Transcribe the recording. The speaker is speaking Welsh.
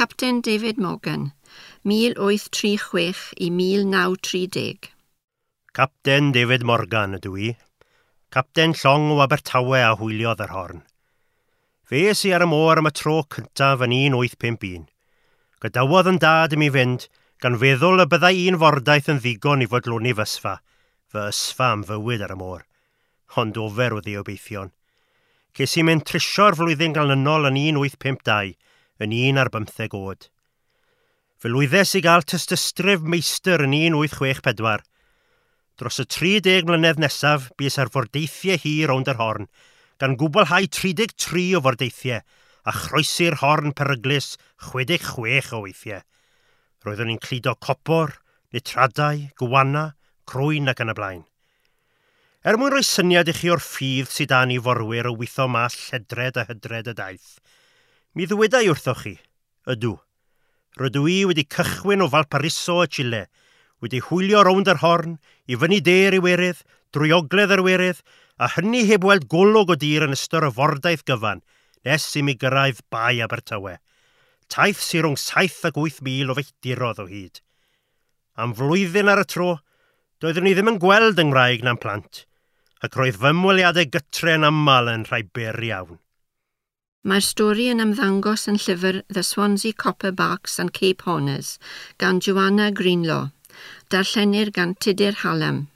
Capten David Morgan, 1836 i 1930. Capten David Morgan ydw i. Capten llong o Abertawe a hwyliodd yr horn. Fe es i ar y môr am y tro cyntaf yn 1851. Gadawodd yn dad i mi fynd, gan feddwl y byddai un fordaith yn ddigon i fodloni fysfa, fy ysfa am fywyd ar y môr. Ond ofer oedd ei obeithion. Ces i mynd trisio'r flwyddyn ganlynol yn 1852, yn 11 oed. Fe lwyddes i gael tystysgrif meistr yn 1864. Dros y 30 mlynedd nesaf, bues ar fordeithiau hir rownd yr horn, gan gwblhau 33 o fordeithiau a chroesi'r horn peryglus 66 o weithiau. Roeddwn i'n cludo copor, nitradau, gwana, crwyn ac yn y blaen. Er mwyn rhoi syniad i chi o'r ffydd sydd dan i forwyr o witho mas lledred a hydred y daith, mi ddywedai wrthoch chi, ydw, rydw i wedi cychwyn o Valparaiso a Chile, wedi hwylio rownd yr horn, i fyny de'r Iwerydd, drwy ogledd yr Iwerydd, a hynny heb weld golwg o dir yn ystod y fordaith gyfan, nes i mi gyrraedd Bae Abertawe. Taith sy'n rhwng 7 ac 8 mil o filltirodd o hyd. Am flwyddyn ar y tro, doeddwn i ddim yn gweld yng Nghymraeg na'n plant, ac roedd fy ymweliadau gytre yn aml yn rhai byr iawn. Mae'r stori yn ymddangos yn llyfr The Swansea Copper Barks and Cape Horners gan Joanna Greenlaw. Darllenir gan Tudur Hallam.